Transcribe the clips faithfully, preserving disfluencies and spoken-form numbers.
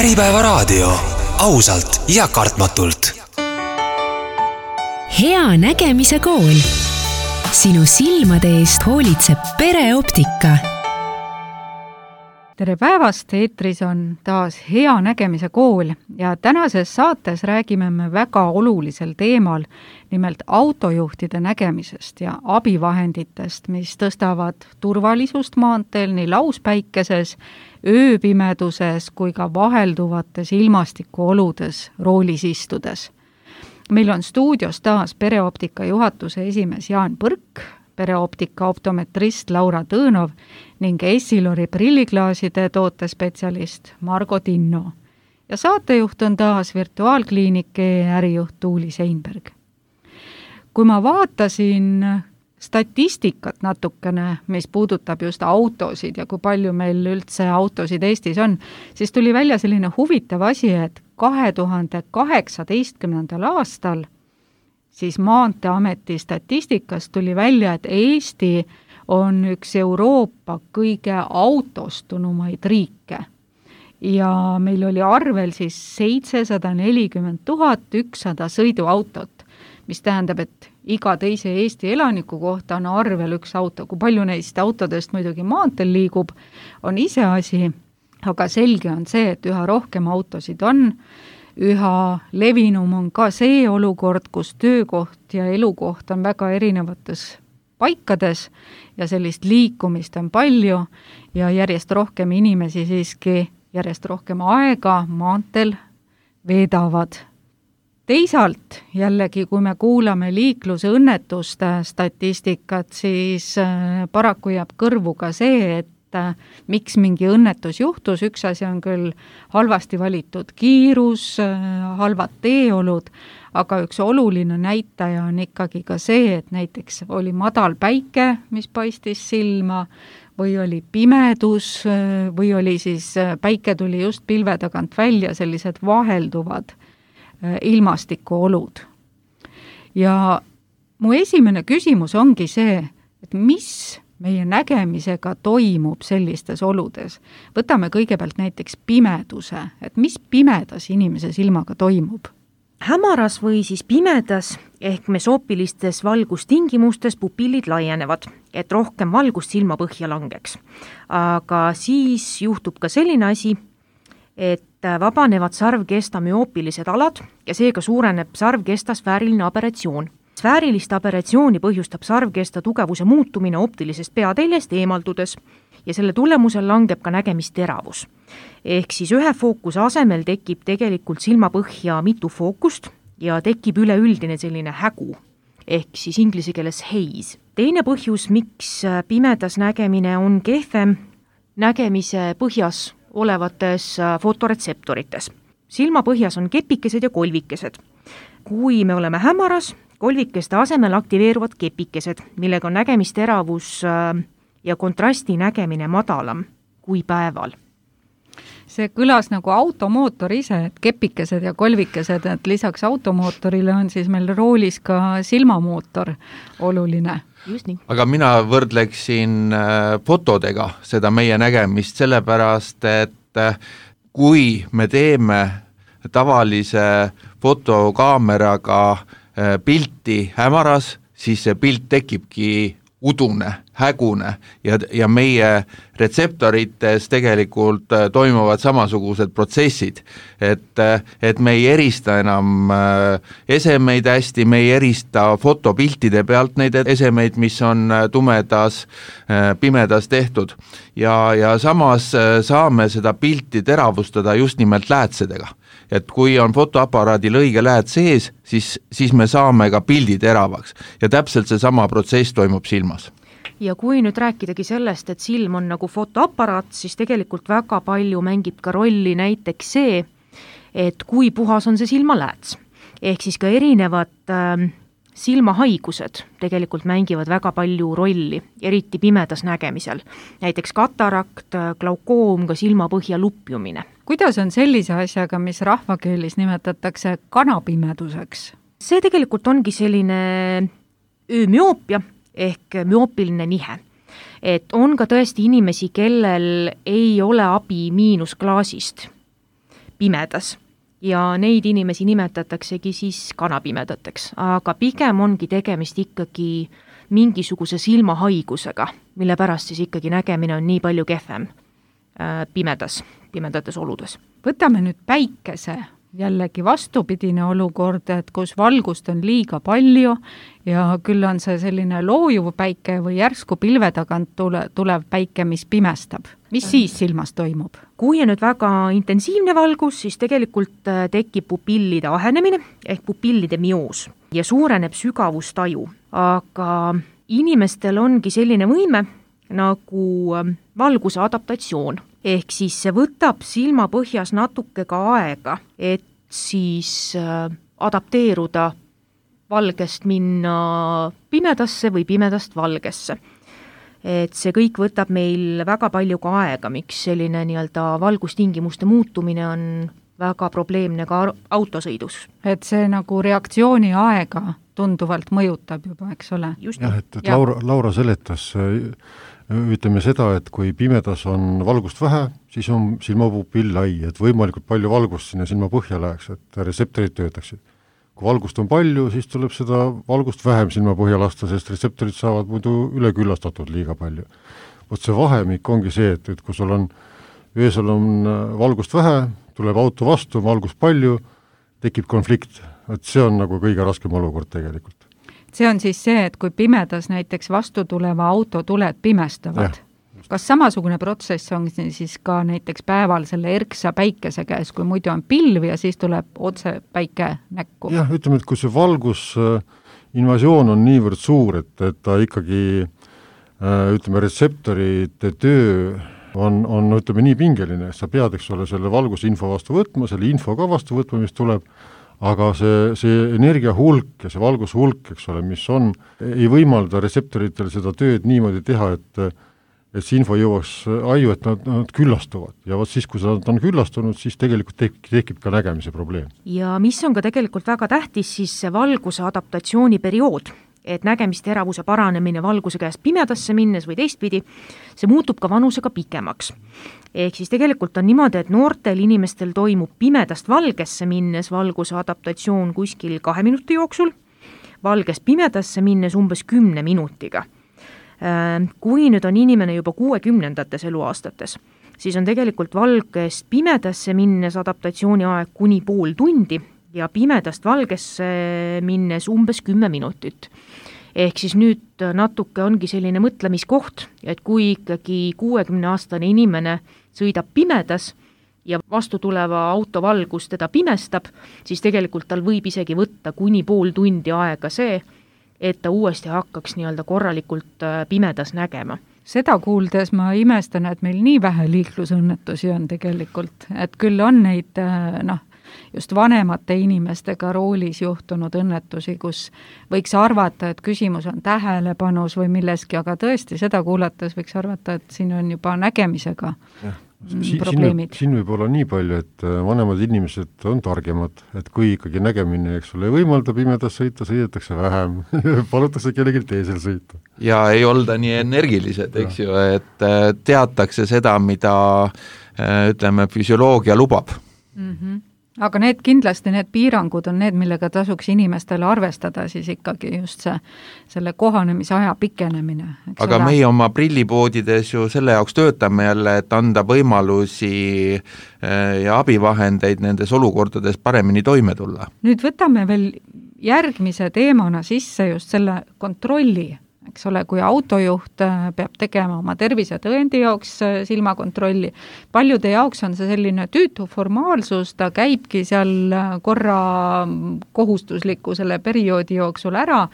Äripäevaraadio, ausalt ja kartmatult. Hea nägemise kool. Sinu silmade eest hoolitseb pereoptika. Tere päevast, eetris on taas Hea nägemise kool ja tänases saates räägime me väga olulisel teemal, nimelt autojuhtide nägemisest ja abivahenditest, mis tõstavad turvalisust maanteel nii lauspäikeses, ööpimeduses kui ka vahelduvates ilmastikuoludes roolis istudes. Meil on stuudios taas pereoptika juhatuse esimees Jaan Põrk, pereoptika optometrist Laura Tõõnov ning Essilori prilliklaaside tootespetsialist Margo Tinno. Ja saatejuht on taas virtuaalkliinike ärijuht Tuuli Seinberg. Kui ma vaatasin statistikat natukene, mis puudutab just autosid ja kui palju meil üldse autosid Eestis on, siis tuli välja selline huvitav asi, et kahe tuhande kaheksateistkümnendal aastal siis Maanteeameti statistikast tuli välja, et Eesti on üks Euroopa kõige autostunumaid riike. Ja meil oli arvel siis seitsesada nelikümmend tuhat ükssada sõiduautot, mis tähendab, et iga teise Eesti elaniku kohta on arvel üks auto. Kui palju neist autodest muidugi maanteel liigub, on iseasi, aga selge on see, et üha rohkem autosid on. Üha levinum on ka see olukord, kus töökoht ja elukoht on väga erinevates paikades ja sellist liikumist on palju ja järjest rohkem inimesi siiski järjest rohkem aega maanteel veedavad. Teisalt jällegi, kui me kuulame liiklusõnnetuste statistikat, siis paraku jääb kõrvu ka see, et miks mingi õnnetus juhtus. Üks asi on küll halvasti valitud kiirus, halvad teeolud, aga üks oluline näitaja on ikkagi ka see, et näiteks oli madal päike, mis paistis silma, või oli pimedus, või oli siis päike tuli just pilve tagant välja, sellised vahelduvad ilmastikuolud. Ja mu esimene küsimus ongi see, et mis meie nägemisega toimub sellistes oludes. Võtame kõigepealt näiteks pimeduse, et mis pimedas inimese silmaga toimub? Hämaras või siis pimedas ehk mesoopilistes valgustingimustes pupillid laienevad, et rohkem valgust silma põhja langeks. Aga siis juhtub ka selline asi, et vabanevad sarvkesta müoopilised alad ja seega suureneb sarvkesta sfääriline aberratsioon. Sfäärilist aberratsiooni põhjustab sarvkesta tugevuse muutumine optilisest peateljest eemaldudes ja selle tulemusel langeb ka nägemisteravus. Ehk siis ühe fookuse asemel tekib tegelikult silmapõhja mitu fookust ja tekib üleüldine selline hägu, ehk siis inglise keeles haze. Teine põhjus, miks pimedas nägemine on kehvem, nägemise põhjas olevates fotoretseptorites. Silmapõhjas on kepikesed ja kolvikesed. Kui me oleme hämaras, kolvikeste asemel aktiveeruvad kepikesed, millega on nägemisteravus ja kontrasti nägemine madalam kui päeval. See kõlas nagu automootor ise, et kepikesed ja kolvikesed, et lisaks automootorile on siis meil roolis ka silmamootor oluline. Just nii. Aga mina võrdleksin fotodega seda meie nägemist, sellepärast, et kui me teeme tavalise fotokaameraga pilti hämaras, siis see pilt tekibki udune, hägune ja, ja meie retseptorites tegelikult toimuvad samasugused protsessid, et, et me ei erista enam esemeid hästi, me ei erista fotopiltide pealt neid esemeid, mis on tumedas, pimedas tehtud ja, ja samas saame seda pilti teravustada just nimelt läätsedega. Et kui on fotoaparaadil õige lääd sees, siis, siis me saame ka pildi teravaks ja täpselt see sama protsess toimub silmas. Ja kui nüüd rääkidagi sellest, et silm on nagu fotoaparaat, siis tegelikult väga palju mängib ka rolli näiteks see, et kui puhas on see silmalääts. Ehk siis ka erinevad äh, silmahaigused tegelikult mängivad väga palju rolli, eriti pimedas nägemisel. Näiteks katarakt, glaukoom, ka silmapõhja lupjumine. Kuidas on sellise asjaga, mis rahvakeelis nimetatakse kanapimeduseks? See tegelikult ongi selline öömüoopia ehk müoopiline nihe. Et on ka tõesti inimesi, kellel ei ole abi miinusklaasist pimedas ja neid inimesi nimetataksegi siis kanapimedateks, aga pigem ongi tegemist ikkagi mingisuguse silmahaigusega, mille pärast siis ikkagi nägemine on nii palju kehvem pimedas, pimedates oludes. Võtame nüüd päikese, jällegi vastupidine olukord, et kus valgust on liiga palju ja küll on see selline loojuv päike või järsku pilve tagant tule, tulev päike, mis pimestab. Mis siis silmas toimub? Kui on nüüd väga intensiivne valgus, siis tegelikult tekib pupillide ahenemine ehk pupillide mioos ja suureneb sügavustaju. Aga inimestel ongi selline võime nagu valguse adaptatsioon. Ehk siis see võtab silmapõhjas natuke ka aega, et siis adapteeruda valgest minna pimedasse või pimedast valgesse. Et see kõik võtab meil väga palju ka aega, miks selline nii-öelda valgustingimuste muutumine on väga probleemne ka autosõidus. Et see nagu reaktsiooni aega tunduvalt mõjutab juba, eks ole? Just. Jah, et, et ja. Laura, Laura seletas, ütleme seda, et kui pimedas on valgust vähe, siis on silmapupill lai, et võimalikult palju valgust sinna silma põhja läheks, et retseptorid töötaksid. Kui valgust on palju, siis tuleb seda valgust vähem silma põhja lasta, sest retseptorid saavad muidu üleküllastatud liiga palju. Vot see vahemik ongi see, et, et kui sul on, öösel on valgust vähe, tuleb auto vastu, valgust palju, tekib konflikt. Et see on nagu kõige raskem olukord tegelikult. See on siis see, et kui pimedas näiteks vastu tuleva auto tuled pimestavad. Ja. Kas samasugune protsess on siis ka näiteks päeval selle erksa päikese käes, kui muidu on pilv ja siis tuleb otse päike näkku? Jah, ütleme, et kui see valgus invasioon on niivõrd suur, et, et ta ikkagi ütleme, retseptorite töö on, on ütleme, nii pingeline, sa pead, eks ole, selle valgusinfo vastu võtma, selle info ka vastu võtma, mis tuleb, aga see, see energia hulk ja see valgus hulk, eks ole, mis on, ei võimalda retseptoritel seda tööd niimoodi teha, et, et see info jõuaks aju, et nad, nad küllastuvad. Ja vaat siis, kui nad on küllastunud, siis tegelikult tekib, tekib ka nägemise probleem. Ja mis on ka tegelikult väga tähtis, siis see valguse adaptatsiooniperiood, et nägemisteravuse paranemine valguse käest pimedasse minnes või teistpidi, see muutub ka vanusega pikemaks. Ehk siis tegelikult on niimoodi, et noortel inimestel toimub pimedast valgesse minnes valguse adaptatsioon kuskil kahe minuti jooksul, valgest pimedasse minnes umbes kümne minutiga. Kui nüüd on inimene juba kuuekümnendates eluaastates, siis on tegelikult valgest pimedasse minnes adaptatsiooni aeg kuni pool tundi ja pimedast valgesse minnes umbes kümme minutit. Ehk siis nüüd natuke ongi selline mõtlemiskoht, et kui ikkagi kuuekümneaastane inimene sõidab pimedas ja vastu tuleva auto valgus teda pimestab, siis tegelikult tal võib isegi võtta kuni pool tundi aega see, et ta uuesti hakkaks nii-öelda korralikult pimedas nägema. Seda kuuldes ma imestan, et meil nii vähe liiklusõnnetusi on tegelikult, et küll on neid, noh, just vanemate inimestega roolis juhtunud õnnetusi, kus võiks arvata, et küsimus on tähelepanus või milleski, aga tõesti seda kuulates võiks arvata, et siin on juba nägemisega ja, si- probleemid. Siin võib olla nii palju, et vanemad inimesed on targemad, et kui ikkagi nägemine, eks ole, võimalda pimedas sõita, sõidetakse vähem, palutakse kellelgi teisel sõita. Ja ei olda nii energilised, eks ja. ju, et teatakse seda, mida ütleme, füsioloogia lubab. Mhm. Aga need kindlasti, need piirangud on need, millega tasuks inimestele arvestada siis ikkagi just see, selle kohanemisaja pikenemine. Aga ole? Meie oma prillipoodides ju selle jaoks töötame jälle, et anda võimalusi ja abivahendeid nendes olukordades paremini toime tulla. Nüüd võtame veel järgmise teemana sisse just selle kontrolli. Eks ole, kui autojuht peab tegema oma tervisetõendi jaoks silmakontrolli, paljude jaoks on see selline tüütu formaalsus, ta käibki seal korra kohustusliku selle perioodi jooksul ära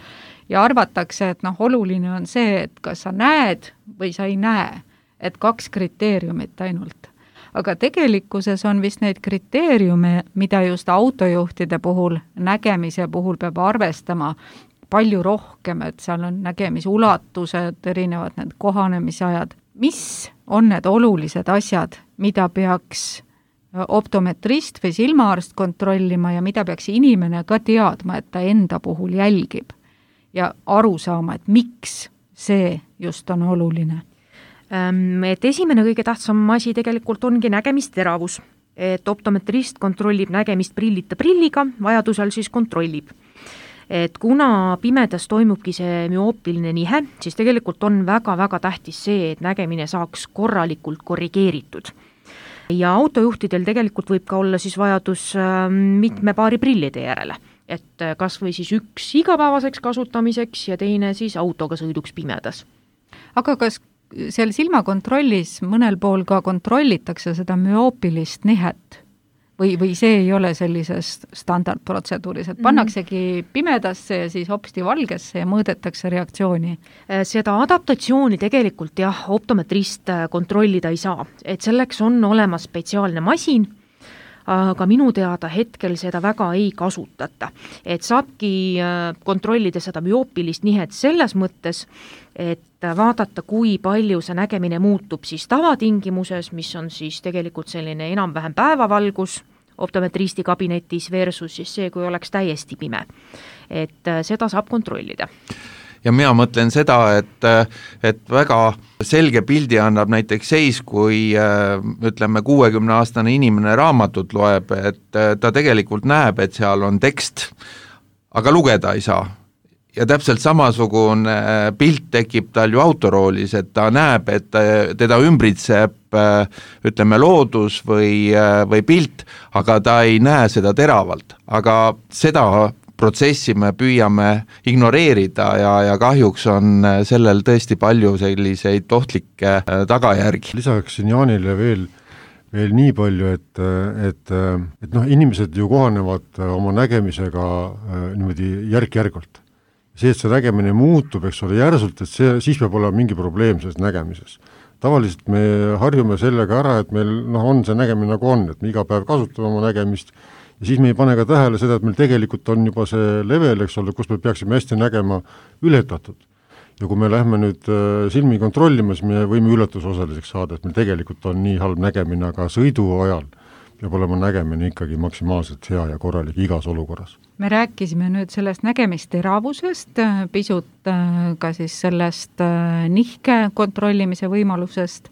ja arvatakse, et noh, oluline on see, et kas sa näed või sa ei näe, et kaks kriteeriumit ainult. Aga tegelikkuses on vist neid kriteeriume, mida just autojuhtide puhul, nägemise puhul peab arvestama palju rohkem, et seal on nägemisulatused, erinevad need kohanemisajad. Mis on need olulised asjad, mida peaks optometrist või silmaarst kontrollima ja mida peaks inimene ka teadma, et ta enda puhul jälgib ja aru saama, et miks see just on oluline? Et esimene kõige tähtsam asi tegelikult ongi nägemisteravus. et optometrist kontrollib nägemist prillita prilliga, vajadusel siis kontrollib. Et kuna pimedas toimubki see müoopiline nihe, siis tegelikult on väga-väga tähtis see, et nägemine saaks korralikult korrigeeritud. Ja autojuhtidel tegelikult võib ka olla siis vajadus mitme paari prillide järele, et kas või siis üks igapäevaseks kasutamiseks ja teine siis autoga sõiduks pimedas. Aga kas seal silmakontrollis mõnel pool ka kontrollitakse seda müoopilist nihet? Või, või see ei ole sellises standardprotseduuris, et pannaksegi pimedasse ja siis hopsti valgesse ja mõõdetakse reaktsiooni? Seda adaptatsiooni tegelikult jah, optometrist kontrollida ei saa, et selleks on olemas spetsiaalne masin, aga minu teada hetkel seda väga ei kasutata. Et saabki kontrollida seda müoopilist nihet selles mõttes, et vaadata, kui palju see nägemine muutub siis tavatingimuses, mis on siis tegelikult selline enam-vähem päevavalgus optometristi kabinetis versus siis see, kui oleks täiesti pime. Et seda saab kontrollida. Ja mina mõtlen seda, et, et väga selge pildi annab näiteks seis, kui ütleme kuuekümne aastane inimene raamatut loeb, et ta tegelikult näeb, et seal on tekst, aga lugeda ei saa. Ja täpselt samasugune pilt tekib tal ju autoroolis, et ta näeb, et teda ümbritseb ütleme loodus või, või pilt, aga ta ei näe seda teravalt. Aga seda protsessi me püüame ignoreerida ja, ja kahjuks on sellel tõesti palju selliseid ohtlikke tagajärgi. Lisaksin Jaanile veel, veel nii palju, et, et, et noh, inimesed ju kohanevad oma nägemisega niimoodi järk-järgult. See, et see nägemine muutub, eks ole, järsult, et see, siis peab olema mingi probleem selles nägemises. Tavaliselt me harjume sellega ära, et meil no, on see nägemine nagu on, et me iga päev kasutame oma nägemist ja siis me ei pane ka tähele seda, et meil tegelikult on juba see level, eks ole, kus me peaksime hästi nägema ületatud. Ja kui me lähme nüüd silmi kontrollima, siis me võime üllatusosaliseks saada, et meil tegelikult on nii halb nägemine, aga sõidu ajal peab olema nägemine ikkagi maksimaalselt hea ja korralik igas olukorras. Me rääkisime nüüd sellest nägemisteravusest, pisut ka siis sellest nihke kontrollimise võimalusest.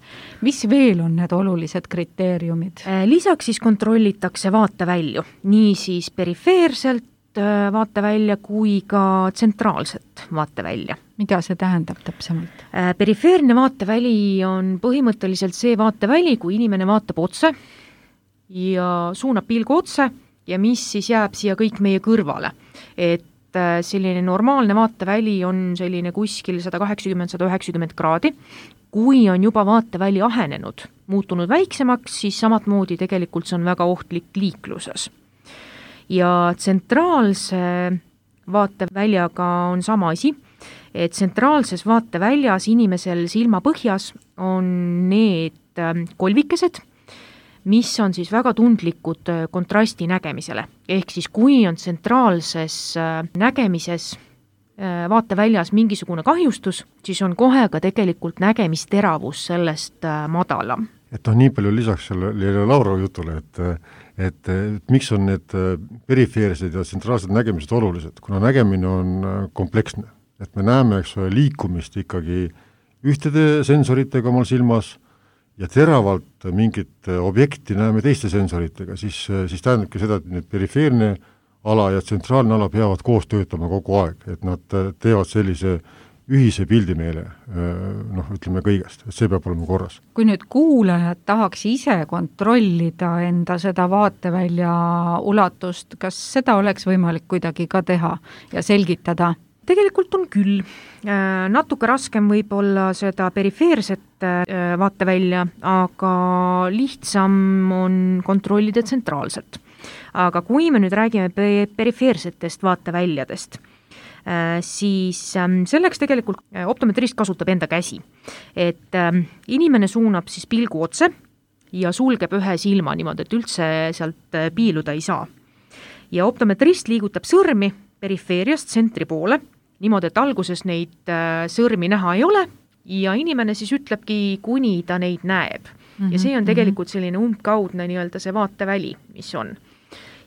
Mis veel on need olulised kriteeriumid? Lisaks siis kontrollitakse vaatevälju, nii siis perifeerselt vaatevälja kui ka tsentraalset vaatevälja. Mida see tähendab täpsemalt? Perifeerne vaateväli on põhimõtteliselt see vaateväli, kui inimene vaatab otse ja suunab pilgu otse ja mis siis jääb siia kõik meie kõrvale. Et selline normaalne vaateväli on selline kuskil sada kaheksakümmend kuni sada üheksakümmend kraadi. Kui on juba vaateväli ahenenud, muutunud väiksemaks, siis samatmoodi tegelikult see on väga ohtlik liikluses. Ja tsentraalse vaateväljaga on sama asi, et tsentraalses vaateväljas inimesel silma põhjas on need kolvikesed, mis on siis väga tundlikud kontrasti nägemisele. Ehk siis kui on tsentraalses nägemises vaateväljas mingisugune kahjustus, siis on kohe ka tegelikult nägemisteravus sellest madalam. Et on nii palju lisaks sellele Laura jutule, et, et, et miks on need perifeersed ja tsentraalsed nägemised olulised, kuna nägemine on kompleksne. Et me näeme, eks ole, liikumist ikkagi ühtede sensoritega omal silmas, ja teravalt mingit objekti näeme teiste sensoritega, siis, siis tähendabki seda, et need perifeerne ala ja tsentraalne ala peavad koos töötama kogu aeg, et nad teevad sellise ühise pildi meile, noh, ütleme kõigest, et see peab olema korras. Kui nüüd kuulajad tahaks ise kontrollida enda seda vaatevälja ulatust, kas seda oleks võimalik kuidagi ka teha ja selgitada? Tegelikult on küll. Natuke raskem võib olla seda perifeerset vaatevälja, aga lihtsam on kontrollida tsentraalselt. Aga kui me nüüd räägime perifeersetest vaateväljadest, siis selleks tegelikult optometrist kasutab enda käsi. Et inimene suunab siis pilgu otse ja sulgeb ühe silma niimoodi, et üldse sealt piiluda ei saa. Ja optometrist liigutab sõrmi perifeeriast tsentri poole, niimoodi, et alguses neid sõrmi näha ei ole ja inimene siis ütlebki, kuni ta neid näeb. Mm-hmm. Ja see on tegelikult selline umbkaudne nii-öelda see vaateväli, mis on.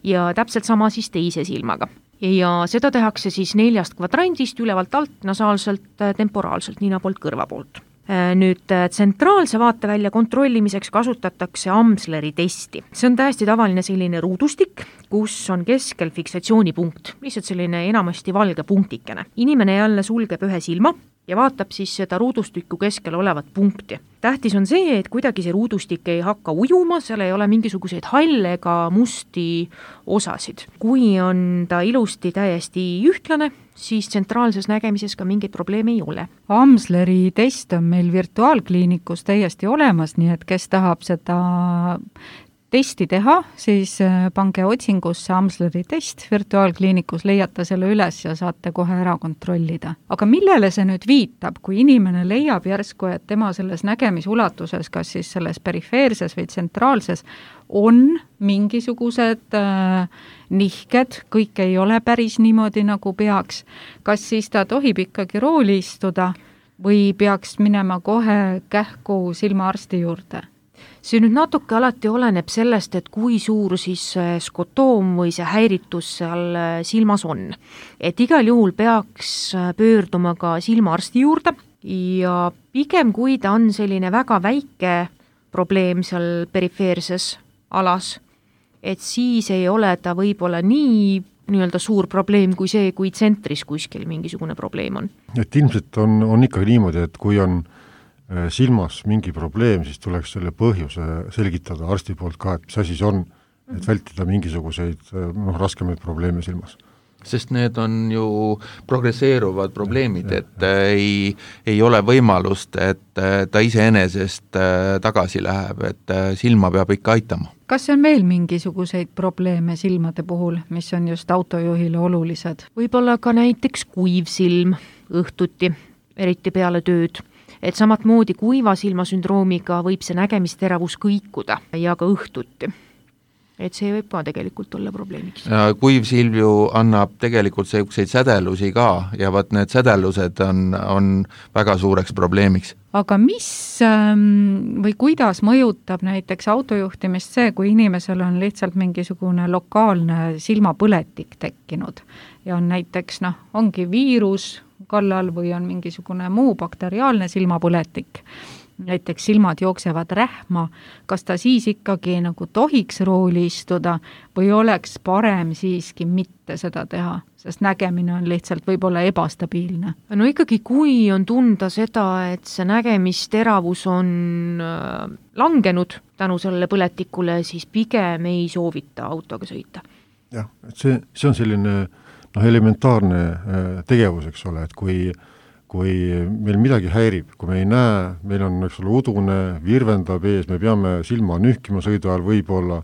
Ja täpselt sama siis teise silmaga. Ja seda tehakse siis neljast kvadrandist ülevalt alt, nasaalselt, temporaalselt, nina poolt, kõrva poolt. Nüüd tsentraalse vaatevälja kontrollimiseks kasutatakse Amsleri testi. See on täiesti tavaline selline ruudustik, kus on keskel fiksatsioonipunkt, lihtsalt selline enamasti valge punktikene. Inimene jälle sulgeb ühe silma ja vaatab siis seda ruudustikku keskel olevat punkti. Tähtis on see, et kuidagi see ruudustik ei hakka ujuma, seal ei ole mingisuguseid halle ega musti osasid. Kui on ta ilusti täiesti ühtlane, siis tsentraalses nägemises ka mingeid probleeme ei ole. Amsleri test on meil virtuaalkliinikus täiesti olemas, nii et kes tahab seda testi teha, siis pange otsingusse Amsleri test, virtuaalkliinikus leiate selle üles ja saate kohe ära kontrollida. Aga millele see nüüd viitab, kui inimene leiab järsku, et tema selles nägemisulatuses, kas siis selles perifeerses või tsentraalses, on mingisugused äh, nihked, kõik ei ole päris niimoodi, nagu peaks. Kas siis ta tohib ikkagi rooli istuda või peaks minema kohe kähku silmaarsti juurde? See nüüd natuke alati oleneb sellest, et kui suur siis skotoom või see häiritus seal silmas on. Et igal juhul peaks pöörduma ka silmaarsti juurde ja pigem kui ta on selline väga väike probleem seal perifeerses alas, et siis ei ole ta võib-olla nii nii-öelda suur probleem kui see, kui tsentris kuskil mingisugune probleem on. Et ilmselt on, on ikkagi niimoodi, et kui on silmas mingi probleem, siis tuleks selle põhjuse selgitada arsti poolt ka, et mis asi see on, et vältida mingisuguseid noh, raskemaid probleeme silmas. Sest need on ju progresseeruvad probleemid, et ei, ei ole võimalust, et ta iseenesest tagasi läheb, et silma peab ikka aitama. Kas on veel mingisuguseid probleeme silmade puhul, mis on just autojuhile olulised? Võib-olla ka näiteks kuiv silm õhtuti, eriti peale tööd. Et samat moodi kuiva silmasündroomiga võib see nägemisteravus kõikuda ja ka õhtuti. Et see võib ka tegelikult olla probleemiks. Kuiv silm ju annab tegelikult selliseid sädelusi ka ja vaat need sädelused on, on väga suureks probleemiks. Aga mis või kuidas mõjutab näiteks autojuhtimist see, kui inimesel on lihtsalt mingisugune lokaalne silmapõletik tekkinud ja on näiteks, noh, ongi viirus kallal või on mingisugune muu bakteriaalne silmapõletik, näiteks silmad jooksevad rähma, kas ta siis ikkagi nagu tohiks rooli istuda või oleks parem siiski mitte seda teha, sest nägemine on lihtsalt võib-olla ebastabiilne? No ikkagi, kui on tunda seda, et see nägemisteravus on langenud tänu sellele põletikule, siis pigem ei soovita autoga sõita. Jah, et see, see on selline noh, elementaarne tegevus, eks ole, et kui, kui meil midagi häirib, kui me ei näe, meil on eks ole, udune, virvendab ees, me peame silma nühkima sõidu ajal võib-olla,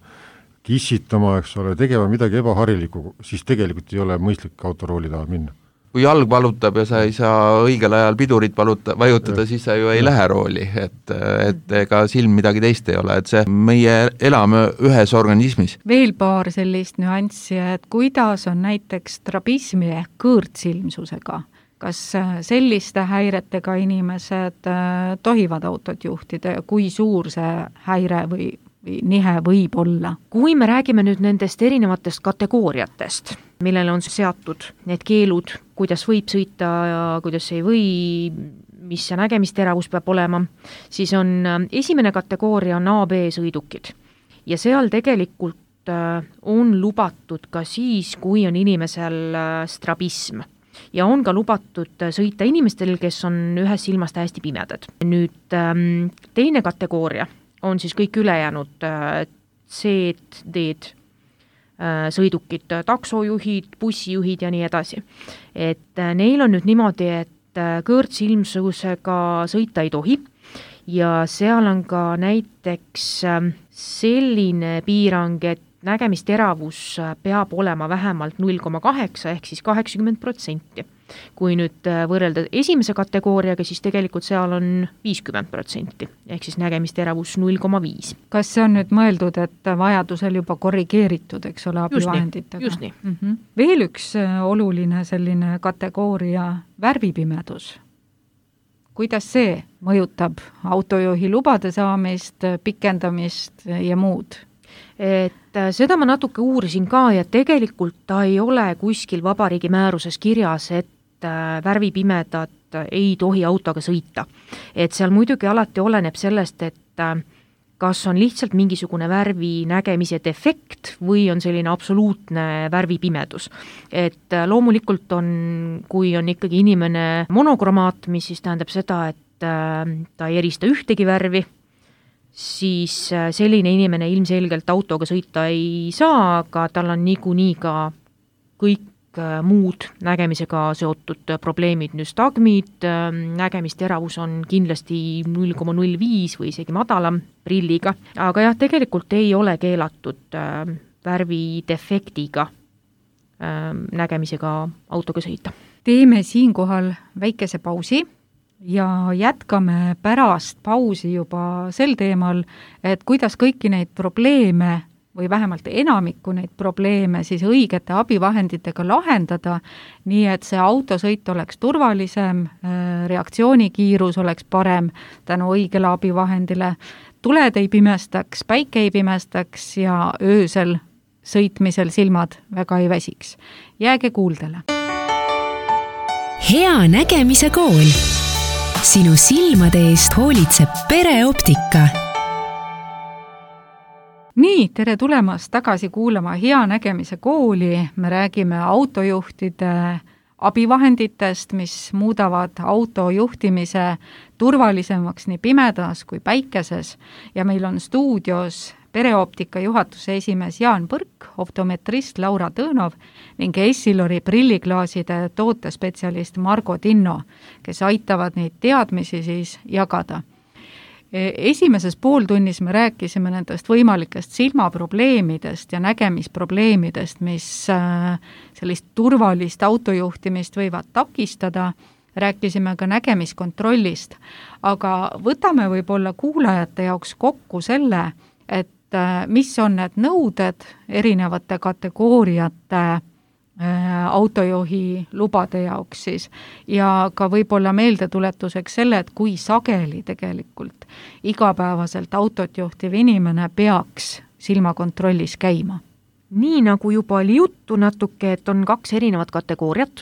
kissitama, eks ole, tegema midagi ebaharilikku, siis tegelikult ei ole mõistlik autorooli taha minna. Kui jalg valutab ja sa ei saa õigel ajal pidurit valuta, vajutada, ja. Siis sa ju ei ja. Lähe rooli, et, et ega silm midagi teist ei ole, et see meie elame ühes organismis. Veel paar sellist nüanssi, et kuidas on näiteks strabismi ehk kõõrtsilmsusega? Kas selliste häiretega inimesed tohivad autot juhtida ja kui suur see häire või, või nihe võib olla? Kui me räägime nüüd nendest erinevatest kategooriatest, millele on seatud need keelud, kuidas võib sõita ja kuidas ei või, mis see nägemisteravus peab olema, siis on esimene kategooria on A B sõidukid ja seal tegelikult on lubatud ka siis, kui on inimesel strabism. Ja on ka lubatud sõita inimestel, kes on ühes silmas täiesti pimedad. Nüüd teine kategooria on siis kõik ülejäänud C-d, D-d sõidukid, taksojuhid, bussijuhid ja nii edasi. Et neil on nüüd niimoodi, et kõõrtsilmsusega sõita ei tohi ja seal on ka näiteks selline piirang, et nägemisteravus peab olema vähemalt null koma kaheksa ehk siis kaheksakümmend protsenti. Kui nüüd võrrelda esimese kategooriaga, siis tegelikult seal on viiskümmend protsenti ehk siis nägemisteravus null koma viis. Kas see on nüüd mõeldud, et vajadusel juba korrigeeritud, eks ole, abivahenditega? Just nii. Mm -hmm. Veel üks oluline selline kategooria, värvipimedus. Kuidas see mõjutab autojuhi lubade saamist, pikendamist ja muud? Et seda ma natuke uurisin ka ja tegelikult ta ei ole kuskil vabariigi määruses kirjas, et värvipimedad ei tohi autoga sõita. Et seal muidugi alati oleneb sellest, et kas on lihtsalt mingisugune värvi nägemise defekt või on selline absoluutne värvipimedus. Et loomulikult on, kui on ikkagi inimene monokromaat, mis siis tähendab seda, et ta ei erista ühtegi värvi, siis selline inimene ilmselgelt autoga sõita ei saa, aga tal on niikuinii ka kõik muud nägemisega seotud probleemid, nüstagmid, nägemisteravus on kindlasti null koma null viis või isegi madalam prilliga, aga jah, tegelikult ei ole keelatud värvidefektiga nägemisega autoga sõita. Teeme siinkohal väikese pausi ja jätkame pärast pausi juba sel teemal, et kuidas kõiki neid probleeme või vähemalt enamikku neid probleeme siis õigete abivahenditega lahendada, nii et see autosõit oleks turvalisem, reaktsioonikiirus oleks parem tänu õigele abivahendile, tuled ei pimestaks, päike ei pimestaks ja öösel sõitmisel silmad väga ei väsiks. Jääge kuuldele. Hea nägemise kool. Sinu silmade eest hoolitseb pereoptika. Nii, tere tulemast tagasi kuulama Hea nägemise kooli. Me räägime autojuhtide abivahenditest, mis muudavad autojuhtimise turvalisemaks nii pimedas kui päikeses. Ja meil on stuudios pereoptika juhatuse esimees Jaan Põrk, optometrist Laura Tõnov ning Essilori prilliklaaside tootespetsialist Margo Tinno, kes aitavad neid teadmisi siis jagada. Esimeses pooltunnis me rääkisime nendest võimalikest silmaprobleemidest ja nägemisprobleemidest, mis sellist turvalist autojuhtimist võivad takistada. Rääkisime ka nägemiskontrollist, aga võtame võib-olla kuulajate jaoks kokku selle, et mis on need nõuded erinevate kategooriate autojuhi lubade jaoks siis ja ka võib-olla meeldetuletuseks selle, et kui sageli tegelikult igapäevaselt autot juhtiv inimene peaks silmakontrollis käima. Nii nagu juba oli juttu natuke, et on kaks erinevat kategooriat.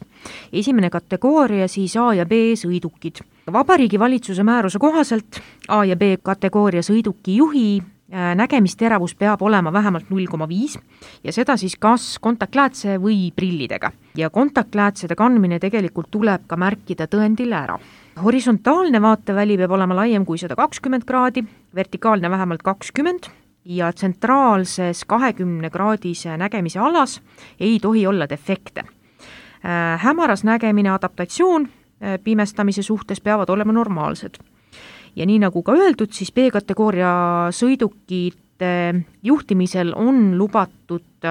Esimene kategooria siis A ja B sõidukid. Vabariigi valitsuse määruse kohaselt A ja B kategooria sõiduki juhi nägemisteravus peab olema vähemalt null koma viis ja seda siis kas kontaktläätse või prillidega. Ja kontaktläätsede kandmine tegelikult tuleb ka märkida tõendile ära. Horisontaalne vaateväli peab olema laiem kui sada kakskümmend kraadi, vertikaalne vähemalt kakskümmend ja tsentraalses kahekümne kraadise nägemise alas ei tohi olla defekte. Hämaras nägemine, adaptatsioon pimestamise suhtes peavad olema normaalsed. Ja nii nagu ka öeldud, siis B-kategooria sõidukite juhtimisel on lubatud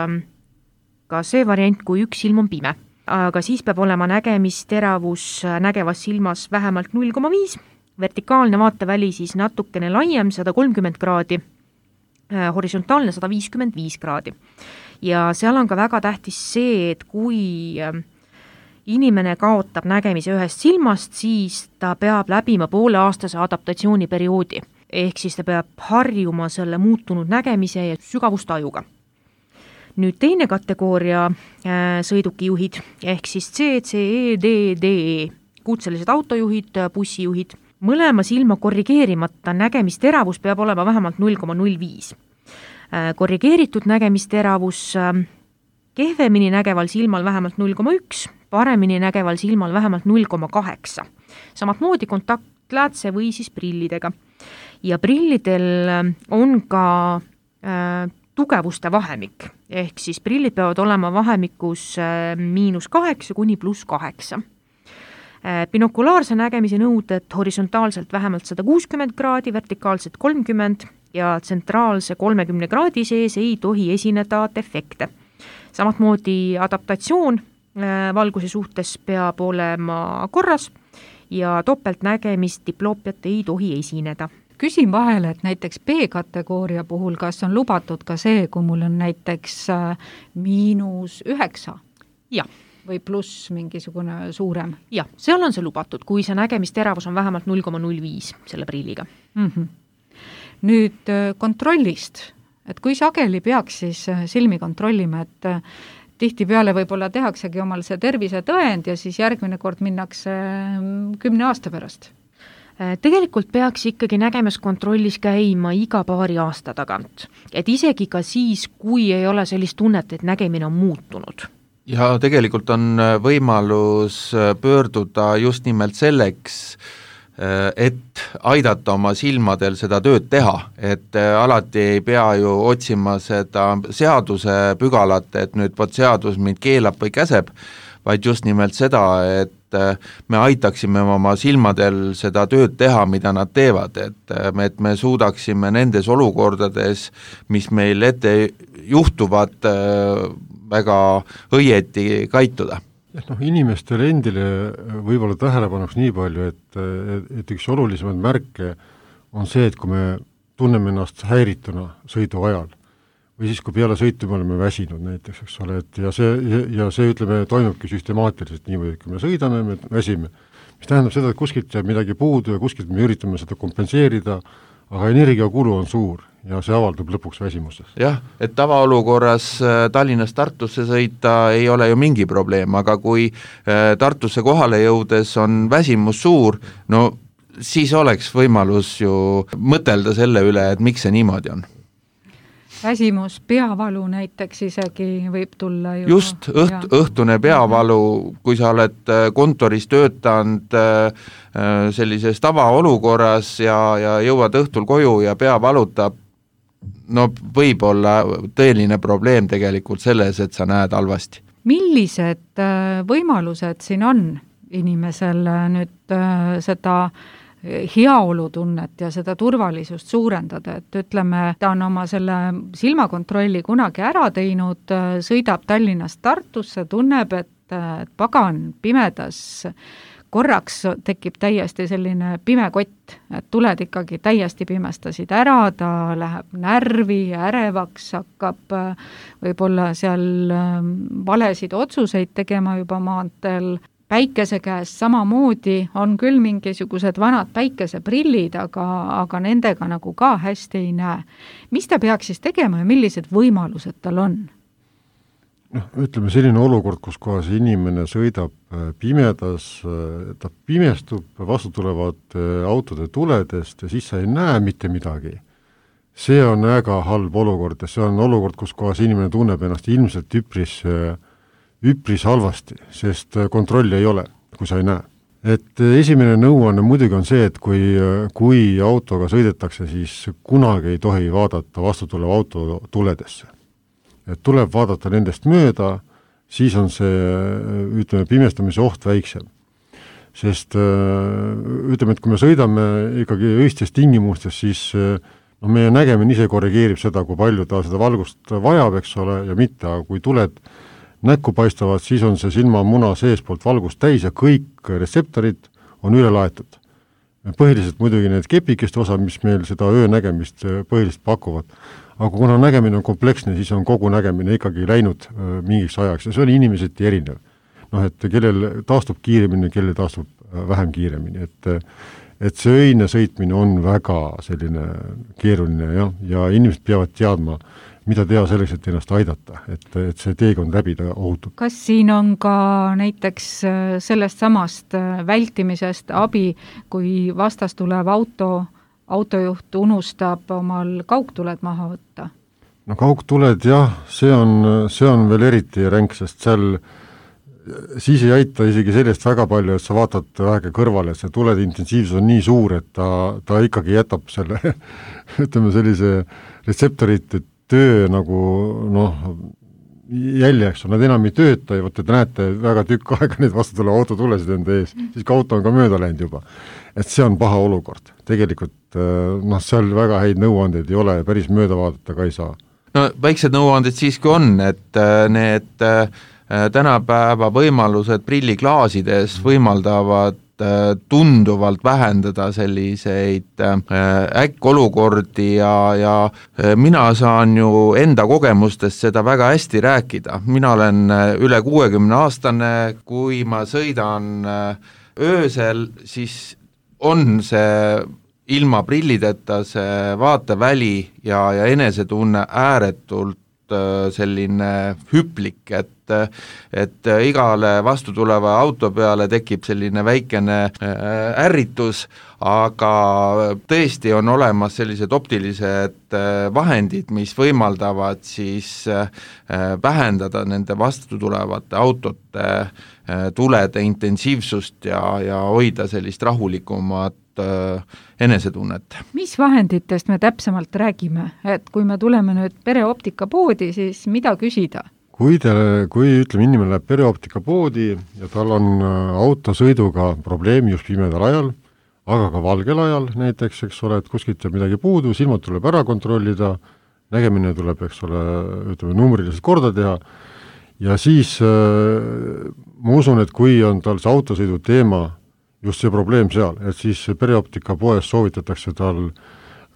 ka see variant, kui üks silm on pime. Aga siis peab olema nägemisteravus nägevas silmas vähemalt null koma viis, vertikaalne vaateväli siis natukene laiem, sada kolmkümmend kraadi, horisontaalne sada viiskümmend viis kraadi. Ja seal on ka väga tähtis see, et kui inimene kaotab nägemise ühest silmast, siis ta peab läbima pooleaastase adaptatsiooniperioodi. Ehk siis ta peab harjuma selle muutunud nägemise ja sügavustajuga. Nüüd teine kategooria äh, sõidukijuhid, ehk siis C, C, E, D, D, E, kutselised autojuhid, bussijuhid. Mõlema silma korrigeerimata nägemisteravus peab olema vähemalt null koma null viis. Äh, korrigeeritud nägemisteravus äh, kehvemini nägeval silmal vähemalt null koma üks, paremini nägeval silmal vähemalt null koma kaheksa. Samat moodi kontaktläätse või siis prillidega. Ja prillidel on ka äh, tugevuste vahemik, ehk siis prillid peavad olema vahemikus äh, miinus kaheksa kuni pluss kaheksa. Äh, binokulaarse nägemise nõuded horisontaalselt vähemalt sada kuuskümmend kraadi, vertikaalselt kolmkümmend ja tsentraalse kolmekümne kraadi sees ei tohi esineda defekte. Samat moodi adaptatsioon valguse suhtes peab olema korras ja topeltnägemist diploopiat ei tohi esineda. Küsin vahele, et näiteks B-kategooria puhul, kas on lubatud ka see, kui mul on näiteks miinus üheksa? Ja. Või pluss mingisugune suurem? Ja, seal on see lubatud, kui see nägemisteravus on vähemalt null koma null viis selle prilliga. Mm-hmm. Nüüd kontrollist, et kui sageli peaks siis silmi kontrollima, et tihtipeale võib-olla tehaksegi omal see tervisetõend ja siis järgmine kord minnakse kümne aasta pärast. Tegelikult peaks ikkagi nägemiskontrollis käima iga paari aasta tagant, et isegi ka siis, kui ei ole sellist tunnet, et nägemine on muutunud. Ja tegelikult on võimalus pöörduda just nimelt selleks, et aidata oma silmadel seda tööd teha, et alati ei pea ju otsima seda seaduse pügalat, et nüüd võt seadus mind keelab või käseb, vaid just nimelt seda, et me aitaksime oma silmadel seda tööd teha, mida nad teevad, et me, et me suudaksime nendes olukordades, mis meil ette juhtuvad, väga õieti kaituda. No, inimestele endile võib-olla tähelepanuks nii palju, et, et üks olulisemaid märke on see, et kui me tunneme ennast häirituna sõidu ajal või siis, kui peale sõitu me oleme väsinud näiteks, eks ole, et ja see, ja see ütleme, toimubki süstemaatiliselt niimoodi, et kui me sõidame, me väsime, mis tähendab seda, et kuskilt jääb midagi puudu ja kuskilt me üritame seda kompenseerida, aga energiakulu on suur ja see avaldub lõpuks väsimuses. Jah, et tavaolukorras Tallinnast Tartusse sõita ei ole ju mingi probleem, aga kui Tartusse kohale jõudes on väsimus suur, no siis oleks võimalus ju mõtelda selle üle, et miks see niimoodi on. Väsimus, peavalu näiteks isegi võib tulla ju. Just, õht, õhtune peavalu, kui sa oled kontoris töötanud sellises tavaolukorras ja, ja jõuad õhtul koju ja pea valutab, no võib olla tõeline probleem tegelikult selles, et sa näed halvasti. Millised võimalused siin on inimesel nüüd seda heaolutunnet ja seda turvalisust suurendada, et ütleme, ta on oma selle silmakontrolli kunagi ära teinud, sõidab Tallinnast Tartusse, tunneb, et pagan pimedas korraks tekib täiesti selline pime kott, et tuled ikkagi täiesti pimestasid ära, ta läheb närvi, ärevaks, hakkab võib-olla seal valesid otsuseid tegema juba maanteel. Päikese käes samamoodi on küll mingisugused vanad päikeseprillid, aga, aga nendega nagu ka hästi ei näe. Mis ta peaks siis tegema ja millised võimalused tal on? No, ütleme selline olukord, kus kohas inimene sõidab pimedas, ta pimestub, vastu tulevad autode tuledest ja siis sa ei näe mitte midagi. See on väga halb olukord ja see on olukord, kus kohas inimene tunneb ennast ilmselt üpris üpris halvasti, sest kontrolli ei ole, kui sa ei näe. Et esimene nõuanne muidugi on see, et kui, kui autoga sõidetakse, siis kunagi ei tohi vaadata vastutuleva auto tuledesse. Et tuleb vaadata nendest mööda, siis on see, ütleme, pimestamise oht väiksem. Sest ütleme, et kui me sõidame ikkagi õistes tingimustes, siis no, meie nägemine ise korrigeerib seda, kui palju ta seda valgust vajab, eks ole, ja mitte, aga kui tuled näkku paistavad, siis on see silmamuna seespoolt valgust täis ja kõik retseptorid on üle laetud. Põhiliselt muidugi need kepikeste osa, mis meil seda öönägemist põhiliselt pakuvad. Aga kuna nägemine on kompleksne, siis on kogu nägemine ikkagi läinud mingiks ajaks ja see on inimeseti erinev. Noh, et kellel taastub kiiremini, kellel taastub vähem kiiremini. Et, et see öine sõitmine on väga selline keeruline ja, ja inimesed peavad teadma, mida teha selleks, et ennast aidata, et, et see teekond läbida ohutub. Kas siin on ka näiteks sellest samast vältimisest abi, kui vastas tulev auto, autojuht unustab omal kaugtuled maha võtta? No kaugtuled jah, see on, see on veel eriti ränk, sest seal siis ei aita isegi sellest väga palju, et sa vaatad väheke kõrvale, et see tulede intensiivsus on nii suur, et ta, ta ikkagi jätab selle, ütleme sellise retseptorite töö nagu noh, jäljeks on, nad enam ei tööta ja võtta, te näete väga tükk aega neid vastu tule auto tulesid enda ees, siis ka auto on ka mööda läinud juba. Et see on paha olukord. Tegelikult noh, seal väga häid nõuandeid ei ole ja päris mööda vaadata ka ei saa. No väiksed nõuanded siiski on, et need tänapäeva võimalused prilliklaasides võimaldavad tunduvalt vähendada selliseid äkkolukordi ja, ja mina saan ju enda kogemustest seda väga hästi rääkida. Mina olen üle kuuekümne aastane, kui ma sõidan öösel, siis on see ilma prillideta see vaateväli ja, ja enesetunne ääretult selline hüplik, et et igale vastu tuleva auto peale tekib selline väikene ärritus, aga tõesti on olemas sellised optilised vahendid, mis võimaldavad siis vähendada nende vastu tulevate autote tulede intensiivsust ja, ja hoida sellist rahulikumat enesetunnet. Mis vahenditest me täpsemalt räägime, et kui me tuleme nüüd pereoptika poodi, siis mida küsida? Kui, te, kui ütleme, inimene läheb pereoptika poodi ja tal on autosõiduga probleemi just pimedal ajal, aga ka valgel ajal näiteks, eks ole, et kuskilt jääb midagi puudu, silmad tuleb ära kontrollida, nägemine tuleb, eks ole, ütleme, numbriliselt korda teha ja siis äh, ma usun, et kui on tal see autosõidu teema just see probleem seal, et siis pereoptika poes soovitatakse tal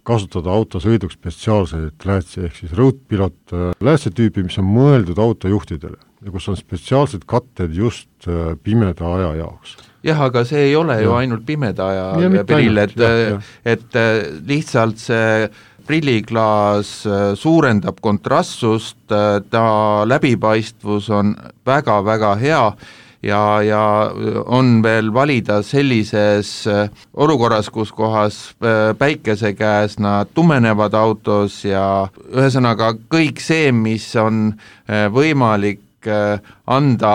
kasutada autosõiduks spetsiaalseid läätsi, ehk siis roadpilot läätsetüüpi, mis on mõeldud autojuhtidele ja kus on spetsiaalsed katted just pimeda aja jaoks. Jah, aga see ei ole ja. ju ainult pimeda aja ja, prill, et, et lihtsalt see prilliklaas suurendab kontrastsust, ta läbipaistvus on väga-väga hea, ja, ja on veel valida sellises olukorras, kus kohas päikese käes nad tumenevad autos ja ühesõnaga kõik see, mis on võimalik anda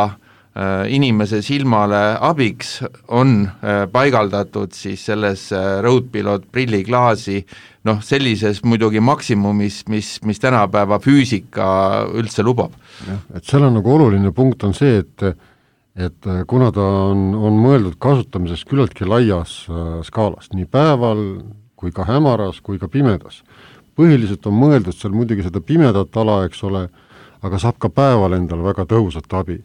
inimese silmale abiks, on paigaldatud siis selles roadpilot prilliklaasi, noh sellises muidugi maksimumis, mis, mis tänapäeva füüsika üldse lubab. Ja, et seal on nagu oluline punkt on see, et et kuna ta on, on mõeldud kasutamiseks küllaltki laias äh, skaalas, nii päeval kui ka hämaras kui ka pimedas. Põhiliselt on mõeldud seal muidugi seda pimedat ala, eks ole, aga saab ka päeval endal väga tõhusat abi.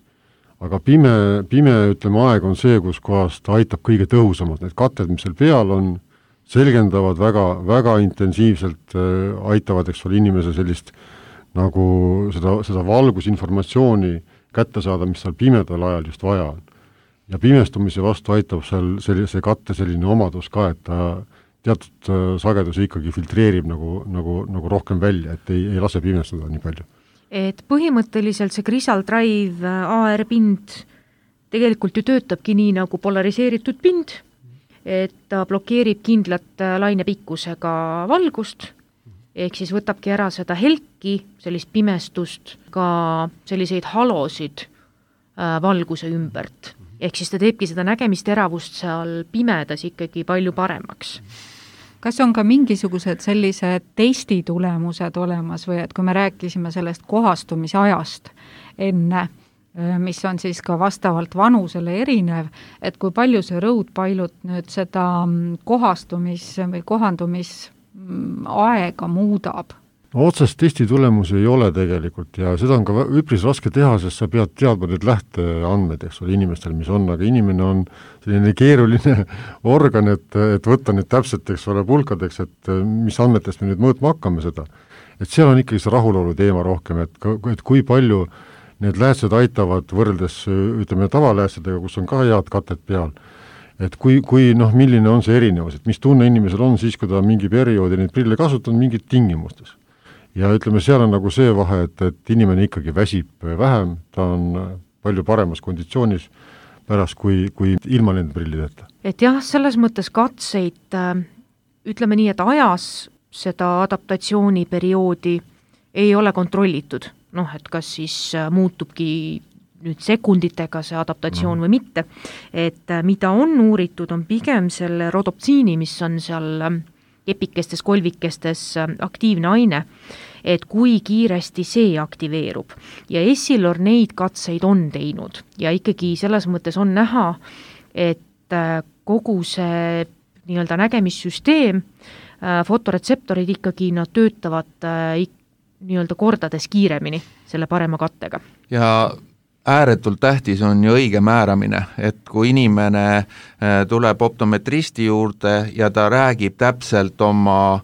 Aga pime, pime ütleme, aeg on see, kus kohas ta aitab kõige tõhusamalt. Need katted, mis seal peal on, selgendavad väga, väga intensiivselt, äh, aitavad, eks ole, inimese sellist nagu seda, seda valgusinformatsiooni kätte saada, mis seal pimedal ajal just vaja on. Ja pimestumise vastu aitab seal sellise katte selline omadus ka, et ta teatud sagedusi ikkagi filtreerib nagu, nagu, nagu rohkem välja, et ei, ei lase pimestada nii palju. Et põhimõtteliselt see Crisal Drive A R-pind tegelikult ju töötabki nii nagu polariseeritud pind, et ta blokeerib kindlat lainepikkusega valgust, ehk siis võtabki ära seda helki, sellist pimestust, ka selliseid halosid äh, valguse ümbert. Ehk siis ta teebki seda nägemisteravust seal pimedas ikkagi palju paremaks. Kas on ka mingisugused sellised testitulemused olemas või et kui me rääkisime sellest kohastumise ajast enne, mis on siis ka vastavalt vanusele erinev, et kui palju see roadpilot nüüd seda kohastumis- või kohandumis aega muudab? Otsest testi tulemusi ei ole tegelikult ja seda on ka üpris raske teha, sest sa pead teadma need lähteandmed, eks ole, inimestel, mis on, aga inimene on selline keeruline organ, et, et võtta need täpselt, eks ole, pulkadeks, et mis andmetest me nüüd mõõtma hakkame seda. Et seal on ikkagi see rahulolu teema rohkem, et, et kui palju need läätsed aitavad võrreldes, ütleme, tavaläätsedega, kus on ka head katet peal, et kui, kui noh, milline on see erinevus, et mis tunne inimesel on siis, kui ta mingi perioodi neid prille kasutab mingid tingimustes. Ja ütleme, seal on nagu see vahe, et, et inimene ikkagi väsib vähem, ta on palju paremas konditsioonis pärast, kui, kui ilma nende prillideta. Et jah, selles mõttes katseid, ütleme nii, et ajas seda adaptatsiooniperioodi ei ole kontrollitud. Noh, et kas siis muutubki nüüd sekunditega see adaptatsioon või mitte, et mida on uuritud, on pigem selle rodoptsiini, mis on seal kepikestes, kolvikestes aktiivne aine, et kui kiiresti see aktiveerub. Ja Essilor neid katseid on teinud ja ikkagi selles mõttes on näha, et kogu see nii-öelda nägemissüsteem, fotoretseptorid ikkagi nad töötavad nii-öelda kordades kiiremini selle parema kattega. Ja ääretult tähtis on ju õige määramine, et kui inimene tuleb optometristi juurde ja ta räägib täpselt oma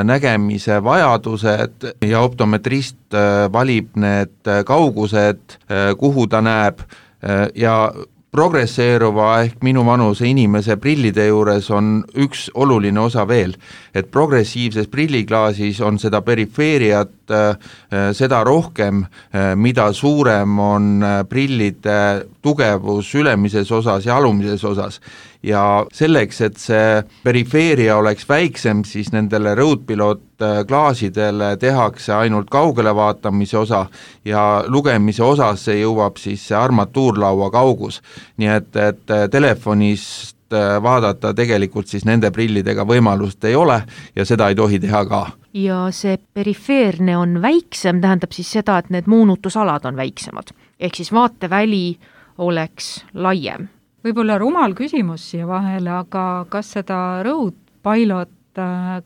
nägemise vajadused ja optometrist valib need kaugused, kuhu ta näeb ja progresseeruva ehk minu vanuse inimese prillide juures on üks oluline osa veel, et progressiivses prilliklaasis on seda perifeeriat seda rohkem, mida suurem on prillide tugevus ülemises osas ja alumises osas. Ja selleks, et see perifeeria oleks väiksem, siis nendele Roadpilot klaasidele tehakse ainult kaugele vaatamise osa ja lugemise osas see jõuab siis see armatuurlaua kaugus. Nii et, et telefonist vaadata tegelikult siis nende prillidega võimalust ei ole ja seda ei tohi teha ka. Ja see perifeerne on väiksem, tähendab siis seda, et need moonutusalad on väiksemad. Ehk siis vaateväli oleks laiem. Võib-olla rumal küsimus siia vahele, aga kas seda Roadpilot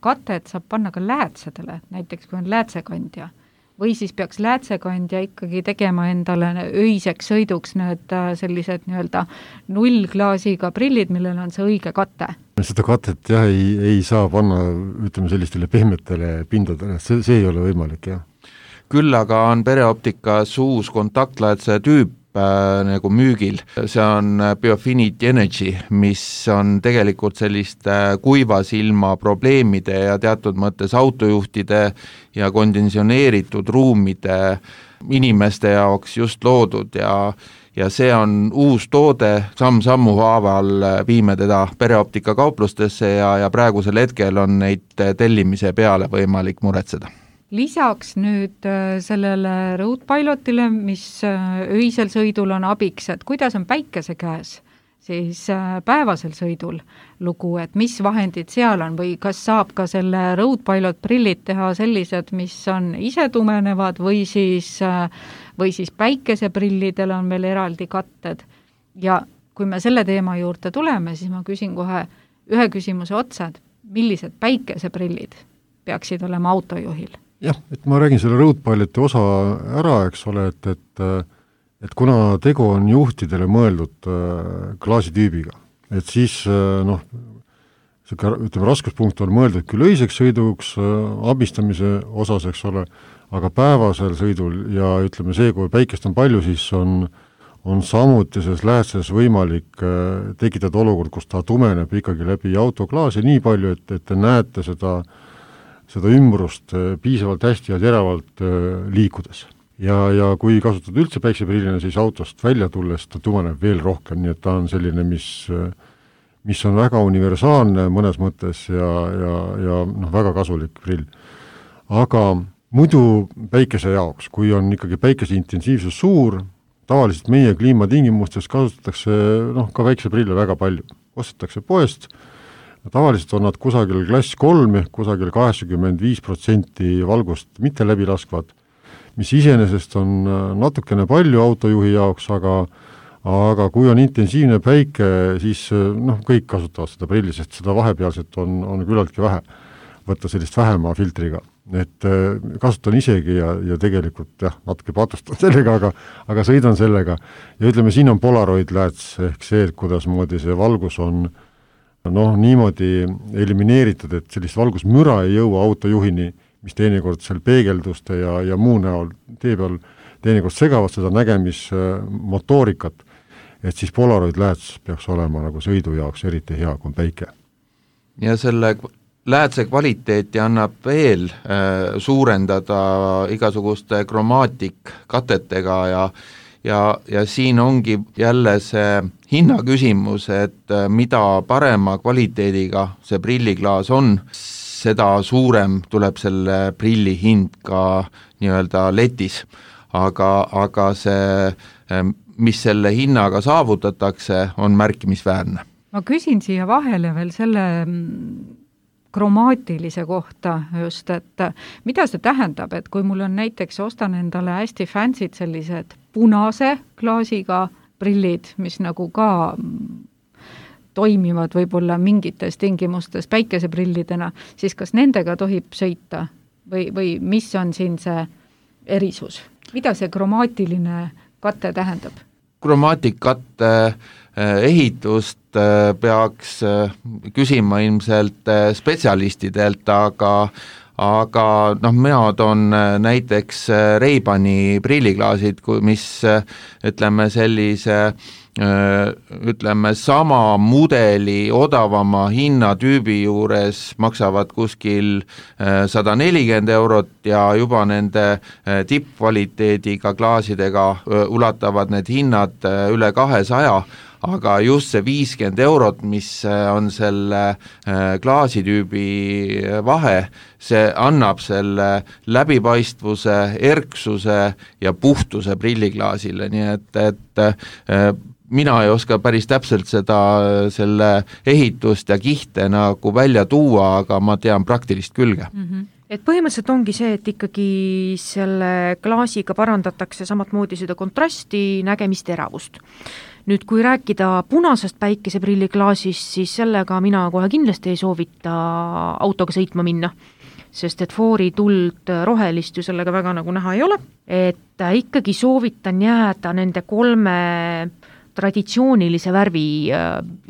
katet saab panna ka läätsedele, näiteks kui on läätsekandja? Või siis peaks läätsekandja ikkagi tegema endale öiseks sõiduks need sellised nii-öelda nullklaasiga prillid, millel on see õige kate? Seda katet jah, ei, ei saa panna ütleme sellistele pehmetele pindadele, see, see ei ole võimalik, jah. Küll aga on Pereoptikas uus kontaktläätse tüüp äh, nagu müügil, see on Biofinity Energy, mis on tegelikult selliste kuiva silma probleemide ja teatud mõttes autojuhtide ja konditsioneeritud ruumide inimeste jaoks just loodud ja ja see on uus toode, samm-sammu haaval viime teda Pereoptika kauplustesse ja, ja praegusel hetkel on neid tellimise peale võimalik muretseda. Lisaks nüüd sellele Roadpilotile, mis öisel sõidul on abiks, et kuidas on päikese käes, siis päevasel sõidul lugu, et mis vahendid seal on või kas saab ka selle Roadpilot prillid teha sellised, mis on ise tumenevad või siis, või siis päikeseprillidel on veel eraldi katted. Ja kui me selle teema juurde tuleme, siis ma küsin kohe ühe küsimuse otsa, et millised päikeseprillid peaksid olema autojuhil? Jah, et ma räägin selle Roadpiloti osa ära, eks ole, et, et, et kuna tegu on juhtidele mõeldud klaasitüübiga, et siis noh, ütleme, raskuspunkt on mõeldud küll öiseks sõiduks abistamise osas, eks ole, aga päevasel sõidul ja ütleme see, kui päikest on palju, siis on, on samuti selles läätses võimalik tekitada olukord, kus ta tumeneb ikkagi läbi autoklaasi nii palju, et, et te näete seda seda ümbrust piisavalt hästi ja teravalt liikudes. Ja, ja kui kasutada üldse päikseprillina, siis autost välja tulles ta tumeneb veel rohkem, nii et ta on selline, mis, mis on väga universaalne mõnes mõttes ja, ja, ja noh, väga kasulik prill. Aga muidu päikese jaoks, kui on ikkagi päikese intensiivsus suur, tavaliselt meie kliimatingimustes kasutatakse noh, ka päikseprille väga palju. Ostetakse poest, tavaliselt on nad kusagil klass kolm, kusagil kaheksakümmend viis protsenti valgust mitte läbi laskvad, mis iseenesest on natukene palju autojuhi jaoks, aga, aga kui on intensiivne päike, siis noh, kõik kasutavad seda prilli, sest seda vahepealset on, on küllaltki vähe võtta sellist vähema filtriga. Et kasutan isegi ja, ja tegelikult jah, natuke patustan sellega, aga, aga sõidan sellega. Ja ütleme, siin on Polaroid lääts, ehk see, kuidas moodi see valgus on noh, niimoodi elimineeritud, et sellist valgusmüra ei jõua autojuhini, mis teinekord seal peegelduste ja, ja muu näol tee peal teinekord segavad seda nägemismotoorikat, et siis Polaroid lääts peaks olema nagu sõidu jaoks eriti hea kui päike. Ja selle läätse kvaliteeti annab veel äh, suurendada igasuguste kromaatik katetega ja Ja, ja siin ongi jälle see hinna küsimus, et mida parema kvaliteediga see prilliklaas on, seda suurem tuleb selle prilli hind ka nii-öelda letis. Aga, aga see, mis selle hinnaga saavutatakse, on märkimisväärne. Ma küsin siia vahele veel selle kromaatilise kohta just, et mida see tähendab, et kui mul on näiteks ostan endale hästi fancy'd sellised punase klaasiga prillid, mis nagu ka toimivad võib-olla mingites tingimustes päikeseprillidena, siis kas nendega tohib sõita või, või mis on siin see erisus? Mida see kromaatiline katte tähendab? Kromaatikatte ehitust peaks küsima ilmselt spetsialistidelt, aga aga noh, mina toon näiteks Ray-Bani prilliklaasid, mis ütleme sellise ütleme, sama mudeli odavama hinnatüübi juures maksavad kuskil sada nelikümmend eurot ja juba nende tippkvaliteediga klaasidega ulatavad need hinnad üle kahesaja, aga just see viiskümmend eurot, mis on selle klaasitüübi vahe, see annab selle läbipaistvuse, erksuse ja puhtuse prilliklaasile, nii et, et mina ei oska päris täpselt seda, selle ehitust ja kihte nagu välja tuua, aga ma tean praktilist külge. Mm-hmm. Et põhimõtteliselt ongi see, et ikkagi selle klaasiga parandatakse samat moodi seda kontrasti, nägemist, teravust. Nüüd, kui rääkida punasest päikeseprilliklaasist, siis sellega mina kohe kindlasti ei soovita autoga sõitma minna, sest et foori tuld rohelist ju sellega väga nagu näha ei ole. Et ikkagi soovitan jääda nende kolme traditsioonilise värvi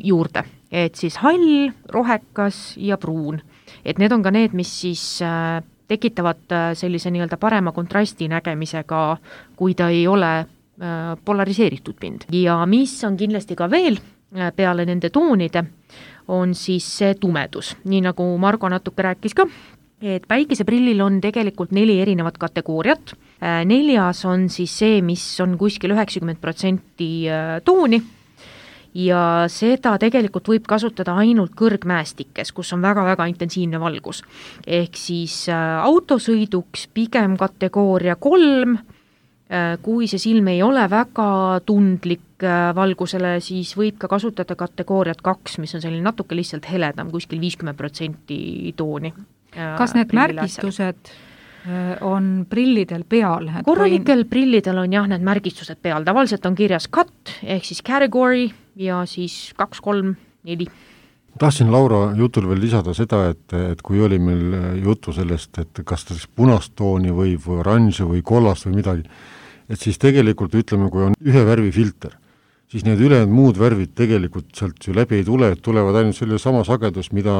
juurde, et siis hall, rohekas ja pruun. Et need on ka need, mis siis tekitavad sellise nii-öelda parema kontrasti nägemisega, kui ta ei ole polariseeritud pind. Ja mis on kindlasti ka veel peale nende toonide, on siis see tumedus. Nii nagu Margo natuke rääkis ka, et päikeseprillil on tegelikult neli erinevat kategooriat. Neljas on siis see, mis on kuskil üheksakümmend protsenti tooni ja seda tegelikult võib kasutada ainult kõrgmäestikes, kus on väga-väga intensiivne valgus. Ehk siis autosõiduks pigem kategooria kolm, kui see silm ei ole väga tundlik valgusele, siis võib ka kasutada kategooriat kaks, mis on selline natuke lihtsalt heledam, kuskil viiskümmend protsenti tooni. Kas need märgistused on prillidel peal? Korralikel või... prillidel on jah need märgistused peal. Tavaliselt on kirjas cut ehk siis category ja siis kaks, kolm, neli. Tahtsin Laura jutul veel lisada seda, et, et kui oli meil jutu sellest, et kas ta siis punast tooni või, või oranži või kollast või midagi, et siis tegelikult ütleme, kui on ühe värvi filter, siis need ülejäänud muud värvid tegelikult sealt ju läbi ei tule, et tulevad ainult selle sama sagedus, mida,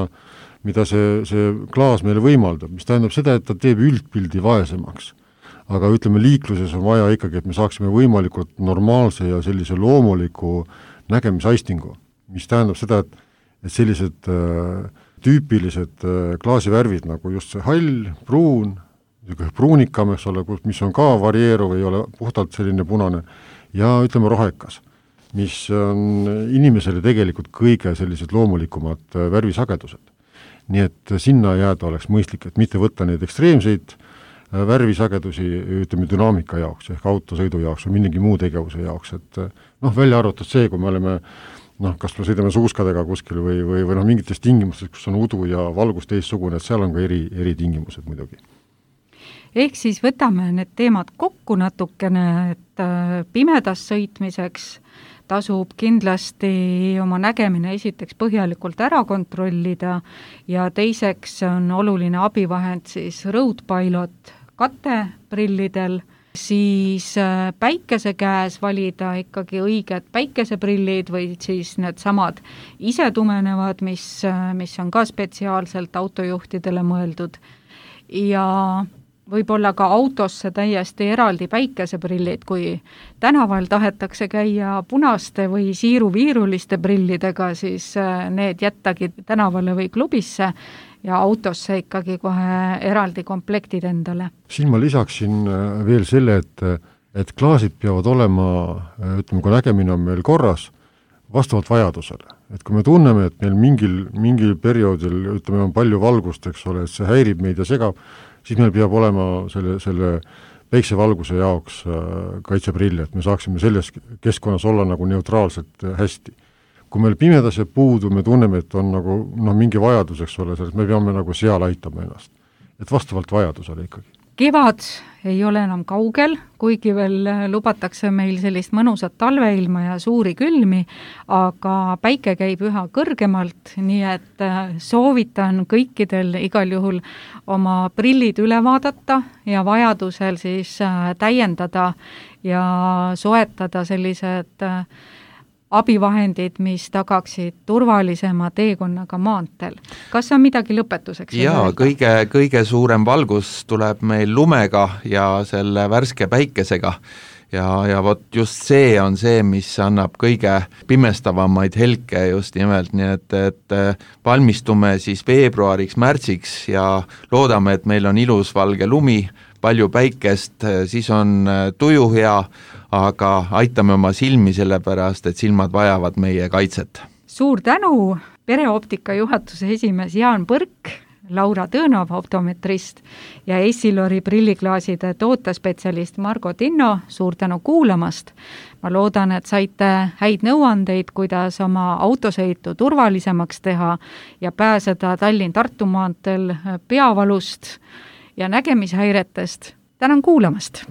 mida see, see klaas meile võimaldab, mis tähendab seda, et ta teeb üldpildi vaesemaks. Aga ütleme, liikluses on vaja ikkagi, et me saaksime võimalikult normaalse ja sellise loomuliku nägemisaistingu, mis tähendab seda, et et sellised äh, tüüpilised äh, klaasivärvid nagu just see hall, pruun, pruunikam, eks ole, mis on ka varieeruv, ei ole puhtalt selline punane, ja ütleme rohekas, mis on inimesele tegelikult kõige sellised loomulikumad äh, värvisagedused. Nii et sinna jääda oleks mõistlik, et mitte võtta neid ekstreemseid äh, värvisagedusi, ütleme, dünaamika jaoks, ehk autosõidu jaoks või millegi muu tegevuse jaoks, et äh, noh, välja arvatud see, kui me oleme noh, kas me sõidame suuskadega kuskil või, või, või noh, mingites tingimustes, kus on udu ja valgus teissugune, et seal on ka eri, eri tingimused muidugi. Ehk siis võtame need teemad kokku natukene, et pimedas sõitmiseks tasub kindlasti oma nägemine esiteks põhjalikult ära kontrollida ja teiseks on oluline abivahend siis Road Pilot kateprillidel, siis päikese käes valida ikkagi õiged päikeseprillid või siis need samad ise tumenevad, mis, mis on ka spetsiaalselt autojuhtidele mõeldud. Ja võib-olla ka autosse täiesti eraldi päikeseprillid, kui tänaval tahetakse käia punaste või siiruviiruliste prillidega, siis need jättagi tänavale või klubisse ja autosse ikkagi kohe eraldi komplektid endale. Siin ma lisaksin veel selle, et, et klaasid peavad olema, ütleme, kui nägemine on meil korras, vastavalt vajadusele. Et kui me tunneme, et meil mingil, mingil perioodil, ütleme, on palju valgust, eks ole, et see häirib meid ja segab, siis meil peab olema selle, selle päiksevalguse jaoks kaitseprill, et me saaksime selles keskkonnas olla nagu neutraalselt hästi. Kui meil pimedas jääb puudu, me tunneme, et on nagu noh, mingi vajadus, eks ole, me peame nagu seal aitama ennast. Et vastavalt vajadusele ikkagi. Kevad ei ole enam kaugel, kuigi veel lubatakse meil sellist mõnusat talveilma ja suuri külmi, aga päike käib üha kõrgemalt, nii et soovitan kõikidel igal juhul oma prillid üle vaadata ja vajadusel siis täiendada ja soetada sellised abivahendid, mis tagaksid turvalisema teekonnaga maanteel. kas on midagi lõpetuseks? Jaa, kõige, kõige suurem valgus tuleb meil lumega ja selle värske päikesega. Ja, ja vot just see on see, mis annab kõige pimestavamaid helke just nimelt, nii et, et valmistume siis veebruariks, märtsiks ja loodame, et meil on ilus valge lumi, palju päikest, siis on tuju hea, aga aitame oma silmi sellepärast, et silmad vajavad meie kaitset. Suur tänu, Pereoptika juhatuse esimees Jaan Põrk, Laura Tõnov, optometrist ja Essilori prilliklaaside tootespetsialist Margo Tinno, suur tänu kuulamast. Ma loodan, et saite häid nõuandeid, kuidas oma autosõitu turvalisemaks teha ja pääseda Tallinn-Tartu maanteel peavalust ja nägemishäiretest. Tänan kuulamast!